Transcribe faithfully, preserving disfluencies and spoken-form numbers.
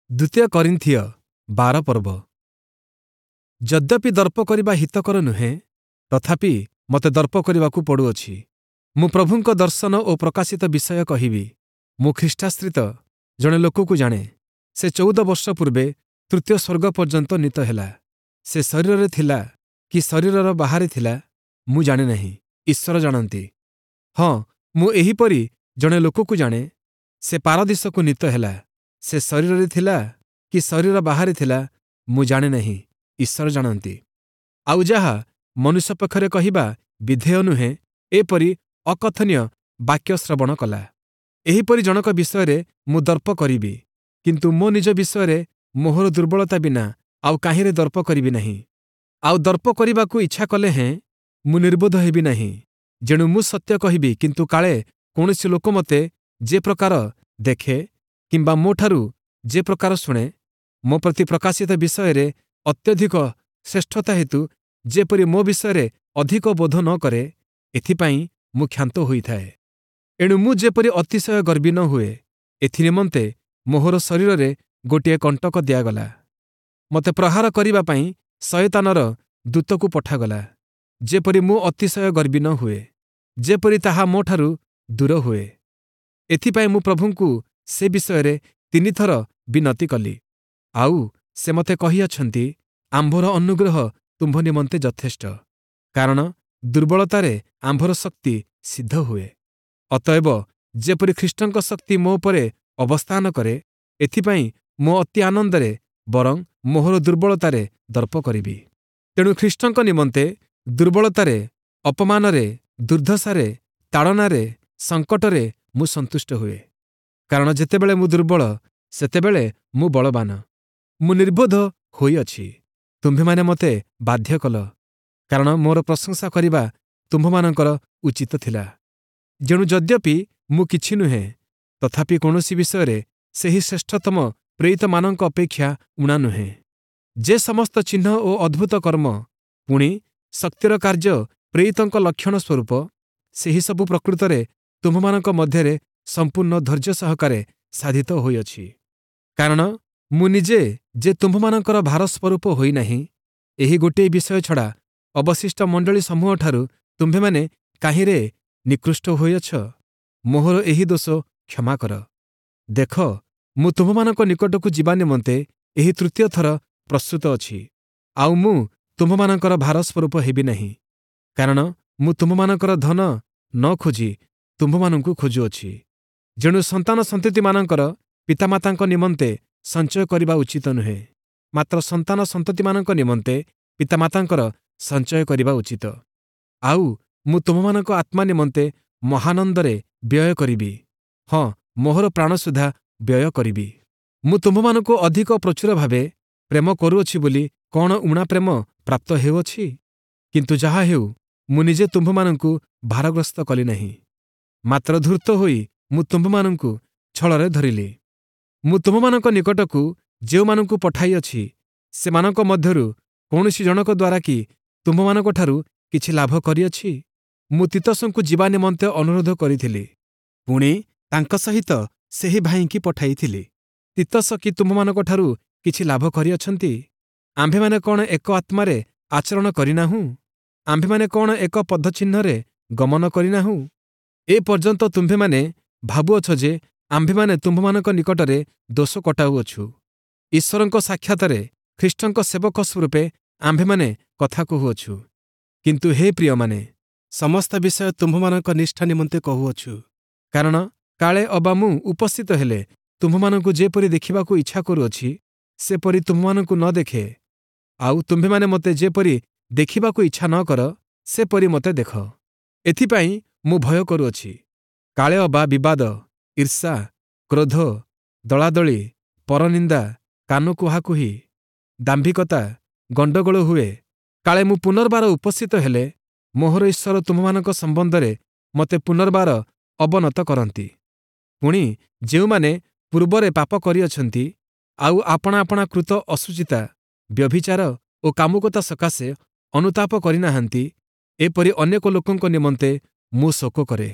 ଦ୍ୱିତୀୟ କରିନ୍ଥୀୟ ବାର ପର୍ବ। ଯଦ୍ୟପି ଦର୍ପ କରିବା ହିତକର ନୁହେଁ, ତଥାପି ମୋତେ ଦର୍ପ କରିବାକୁ ପଡ଼ୁଅଛି। ମୁଁ ପ୍ରଭୁଙ୍କ ଦର୍ଶନ ଓ ପ୍ରକାଶିତ ବିଷୟ କହିବି। ମୁଁ ଖ୍ରୀଷ୍ଟାଶ୍ରିତ ଜଣେ ଲୋକକୁ ଜାଣେ, ସେ ଚଉଦ ବର୍ଷ ପୂର୍ବେ ତୃତୀୟ ସ୍ୱର୍ଗ ପର୍ଯ୍ୟନ୍ତ ନୀତ ହେଲା। ସେ ଶରୀରରେ ଥିଲା କି ଶରୀରର ବାହାରେ ଥିଲା, ମୁଁ ଜାଣେ ନାହିଁ, ଈଶ୍ୱର ଜାଣନ୍ତି। ହଁ, ମୁଁ ଏହିପରି ଜଣେ ଲୋକକୁ ଜାଣେ, ସେ ପାରଦୀଶକୁ ନୀତ ହେଲା। ସେ ଶରୀରରେ ଥିଲା କି ଶରୀର ବାହାରେ ଥିଲା, ମୁଁ ଜାଣେ ନାହିଁ, ଈଶ୍ୱର ଜାଣନ୍ତି। ଆଉ ଯାହା ମନୁଷ୍ୟ ପକ୍ଷରେ କହିବା ବିଧେୟ ନୁହେଁ, ଏପରି ଅକଥନୀୟ ବାକ୍ୟ ଶ୍ରବଣ କଲା। ଏହିପରି ଜଣକ ବିଷୟରେ ମୁଁ ଦର୍ପ କରିବି, କିନ୍ତୁ ମୋ ନିଜ ବିଷୟରେ ମୋହର ଦୁର୍ବଳତା ବିନା ଆଉ କାହିଁରେ ଦର୍ପ କରିବି ନାହିଁ। ଆଉ ଦର୍ପ କରିବାକୁ ଇଚ୍ଛା କଲେ ହେଁ ମୁଁ ନିର୍ବୋଧ ହେବି ନାହିଁ। ଯେଣୁ ମୁଁ ସତ୍ୟ କହିବି, କିନ୍ତୁ କାଳେ କୌଣସି ଲୋକ ମୋତେ ଯେ ପ୍ରକାର ଦେଖେ କିମ୍ବା ମୋଠାରୁ ଯେ ପ୍ରକାର ଶୁଣେ, ମୋ ପ୍ରତି ପ୍ରକାଶିତ ବିଷୟରେ ଅତ୍ୟଧିକ ଶ୍ରେଷ୍ଠତା ହେତୁ ଯେପରି ମୋ ବିଷୟରେ ଅଧିକ ବୋଧ ନ କରେ, ଏଥିପାଇଁ ମୁଁ କ୍ଷାନ୍ତ ହୋଇଥାଏ। ଏଣୁ ମୁଁ ଯେପରି ଅତିଶୟ ଗର୍ବୀ ନ ହୁଏ, ଏଥିନିମନ୍ତେ ମୋହର ଶରୀରରେ ଗୋଟିଏ କଣ୍ଟକ ଦିଆଗଲା। ମୋତେ ପ୍ରହାର କରିବା ପାଇଁ ଶୟତାନର ଦୂତକୁ ପଠାଗଲା, ଯେପରି ମୁଁ ଅତିଶୟ ଗର୍ବୀ ନ ହୁଏ, ଯେପରି ତାହା ମୋଠାରୁ ଦୂର ହୁଏ। ଏଥିପାଇଁ ମୁଁ ପ୍ରଭୁଙ୍କୁ ସେ ବିଷୟରେ ତିନିଥର ବିନତି କଲି। ଆଉ ସେ ମୋତେ କହିଅଛନ୍ତି, ଆମ୍ଭର ଅନୁଗ୍ରହ ତୁମ୍ଭ ନିମନ୍ତେ ଯଥେଷ୍ଟ, କାରଣ ଦୁର୍ବଳତାରେ ଆମ୍ଭର ଶକ୍ତି ସିଦ୍ଧ ହୁଏ। ଅତଏବ ଯେପରି ଖ୍ରୀଷ୍ଟଙ୍କ ଶକ୍ତି ମୋ ଉପରେ ଅବସ୍ଥାନ କରେ, ଏଥିପାଇଁ ମୁଁ ଅତି ଆନନ୍ଦରେ ବରଂ ମୋହର ଦୁର୍ବଳତାରେ ଦର୍ପ କରିବି। ତେଣୁ ଖ୍ରୀଷ୍ଟଙ୍କ ନିମନ୍ତେ ଦୁର୍ବଳତାରେ, ଅପମାନରେ, ଦୁର୍ଦ୍ଦଶାରେ, ତାଡ଼ନାରେ, ସଙ୍କଟରେ ମୁଁ ସନ୍ତୁଷ୍ଟ ହୁଏ। କାରଣ ଯେତେବେଳେ ମୁଁ ଦୁର୍ବଳ, ସେତେବେଳେ ମୁଁ ବଳବାନ। ମୁଁ ନିର୍ବୋଧ ହୋଇଅଛି, ତୁମ୍ଭେମାନେ ମୋତେ ବାଧ୍ୟ କଲ, କାରଣ ମୋର ପ୍ରଶଂସା କରିବା ତୁମ୍ଭମାନଙ୍କର ଉଚିତ ଥିଲା। ଯେଣୁ ଯଦ୍ୟପି ମୁଁ କିଛି ନୁହେଁ, ତଥାପି କୌଣସି ବିଷୟରେ ସେହି ଶ୍ରେଷ୍ଠତମ ପ୍ରେରିତମାନଙ୍କ ଅପେକ୍ଷା ଊଣା ନୁହେଁ। ଯେ ସମସ୍ତ ଚିହ୍ନ ଓ ଅଦ୍ଭୁତ କର୍ମ, ପୁଣି ଶକ୍ତିର କାର୍ଯ୍ୟ ପ୍ରେରିତଙ୍କ ଲକ୍ଷଣ ସ୍ୱରୂପ, ସେହି ସବୁ ପ୍ରକୃତରେ ତୁମ୍ଭମାନଙ୍କ ମଧ୍ୟରେ ସମ୍ପୂର୍ଣ୍ଣ ଧୈର୍ଯ୍ୟ ସହକାରେ ସାଧିତ ହୋଇଅଛି। କାରଣ ମୁଁ ନିଜେ ଯେ ତୁମ୍ଭମାନଙ୍କର ଭାରସ୍ୱରୂପ ହୋଇନାହିଁ, ଏହି ଗୋଟିଏ ବିଷୟ ଛଡ଼ା ଅବଶିଷ୍ଟ ମଣ୍ଡଳୀ ସମୂହଠାରୁ ତୁମ୍ଭେମାନେ କାହିଁରେ ନିକୃଷ୍ଟ ହୋଇଅଛ? ମୋହର ଏହି ଦୋଷ କ୍ଷମା କର। ଦେଖ, ମୁଁ ତୁମ୍ଭମାନଙ୍କ ନିକଟକୁ ଯିବା ନିମନ୍ତେ ଏହି ତୃତୀୟ ଥର ପ୍ରସ୍ତୁତ ଅଛି, ଆଉ ମୁଁ ତୁମ୍ଭମାନଙ୍କର ଭାରସ୍ୱରୂପ ହେବି ନାହିଁ, କାରଣ ମୁଁ ତୁମ୍ଭମାନଙ୍କର ଧନ ନ ଖୋଜି ତୁମ୍ଭମାନଙ୍କୁ ଖୋଜୁଅଛି। ଯେଣୁ ସନ୍ତାନ ସନ୍ତତିମାନଙ୍କର ପିତାମାତାଙ୍କ ନିମନ୍ତେ ସଞ୍ଚୟ କରିବା ଉଚିତ ନୁହେଁ, ମାତ୍ର ସନ୍ତାନ ସନ୍ତତିମାନଙ୍କ ନିମନ୍ତେ ପିତାମାତାଙ୍କର ସଞ୍ଚୟ କରିବା ଉଚିତ। ଆଉ ମୁଁ ତୁମ୍ଭମାନଙ୍କ ଆତ୍ମା ନିମନ୍ତେ ମହାନନ୍ଦରେ ବ୍ୟୟ କରିବି, ହଁ, ମୋହର ପ୍ରାଣ ସୁଦ୍ଧା ବ୍ୟୟ କରିବି। ମୁଁ ତୁମ୍ଭମାନଙ୍କୁ ଅଧିକ ପ୍ରଚୁର ଭାବେ ପ୍ରେମ କରୁଅଛି ବୋଲି କ'ଣ ଊଣା ପ୍ରେମ ପ୍ରାପ୍ତ ହେଉଅଛି? କିନ୍ତୁ ଯାହା ହେଉ, ମୁଁ ନିଜେ ତୁମ୍ଭମାନଙ୍କୁ ଭାରଗ୍ରସ୍ତ କଲି ନାହିଁ, ମାତ୍ର ଧୂର୍ତ୍ତ ହୋଇ ମୁଁ ତୁମ୍ଭମାନଙ୍କୁ ଛଳରେ ଧରିଲି। ମୁଁ ତୁମ୍ଭମାନଙ୍କ ନିକଟକୁ ଯେଉଁମାନଙ୍କୁ ପଠାଇଅଛି, ସେମାନଙ୍କ ମଧ୍ୟରୁ କୌଣସି ଜଣକ ଦ୍ୱାରା କି ତୁମ୍ଭମାନଙ୍କଠାରୁ କିଛି ଲାଭ କରିଅଛି? ମୁଁ ତୀତସଙ୍କୁ ଯିବା ନିମନ୍ତେ ଅନୁରୋଧ କରିଥିଲି, ପୁଣି ତାଙ୍କ ସହିତ ସେହି ଭାଇଙ୍କି ପଠାଇଥିଲି। ତୀତସ କି ତୁମ୍ଭମାନଙ୍କଠାରୁ କିଛି ଲାଭ କରିଅଛନ୍ତି? ଆମ୍ଭେମାନେ କ'ଣ ଏକ ଆତ୍ମାରେ ଆଚରଣ କରିନାହୁଁ? ଆମ୍ଭେମାନେ କ'ଣ ଏକ ପଦଚିହ୍ନରେ ଗମନ କରିନାହୁଁ? ଏ ପର୍ଯ୍ୟନ୍ତ ତୁମ୍ଭେମାନେ ଭାବୁଅଛ ଯେ ଆମ୍ଭେମାନେ ତୁମ୍ଭମାନଙ୍କ ନିକଟରେ ଦୋଷ କଟାଉଅଛୁ। ଈଶ୍ୱରଙ୍କ ସାକ୍ଷାତରେ ଖ୍ରୀଷ୍ଟଙ୍କ ସେବକ ସ୍ୱରୂପେ ଆମ୍ଭେମାନେ କଥା କହୁଅଛୁ। କିନ୍ତୁ ହେ ପ୍ରିୟମାନେ, ସମସ୍ତ ବିଷୟ ତୁମ୍ଭମାନଙ୍କ ନିଷ୍ଠା ନିମନ୍ତେ କହୁଅଛୁ, କାରଣ କାଳେ ଅବା ମୁଁ ଉପସ୍ଥିତ ହେଲେ ତୁମ୍ଭମାନଙ୍କୁ ଯେପରି ଦେଖିବାକୁ ଇଚ୍ଛା କରୁଅଛି, ସେପରି ତୁମ୍ଭମାନଙ୍କୁ ନ ଦେଖେ, ଆଉ ତୁମ୍ଭେମାନେ ମୋତେ ଯେପରି ଦେଖିବାକୁ ଇଚ୍ଛା ନ କର, ସେପରି ମୋତେ ଦେଖ। ଏଥିପାଇଁ ମୁଁ ଭୟ କରୁଅଛି, କାଳେ ଅବା ବିବାଦ, ଈର୍ଷା, କ୍ରୋଧ, ଦଳାଦଳି, ପରନିନ୍ଦା, କାନ କୁହାକୁହି, ଦାମ୍ଭିକତା, ଗଣ୍ଡଗୋଳ ହୁଏ। କାଳେ ମୁଁ ପୁନର୍ବାର ଉପସ୍ଥିତ ହେଲେ ମୋହର ଈଶ୍ୱର ତୁମ୍ଭମାନଙ୍କ ସମ୍ବନ୍ଧରେ ମୋତେ ପୁନର୍ବାର ଅବନତ କରନ୍ତି। ପୁଣି ଯେଉଁମାନେ ପୂର୍ବରେ ପାପ କରିଅଛନ୍ତି, ଆଉ ଆପଣା ଆପଣା କୃତ ଅଶୁଚିତା, ବ୍ୟଭିଚାର ଓ କାମୁକତା ସକାଶେ ଅନୁତାପ କରିନାହାନ୍ତି, ଏପରି ଅନେକ ଲୋକଙ୍କ ନିମନ୍ତେ ମୁଁ ଶୋକ କରେ।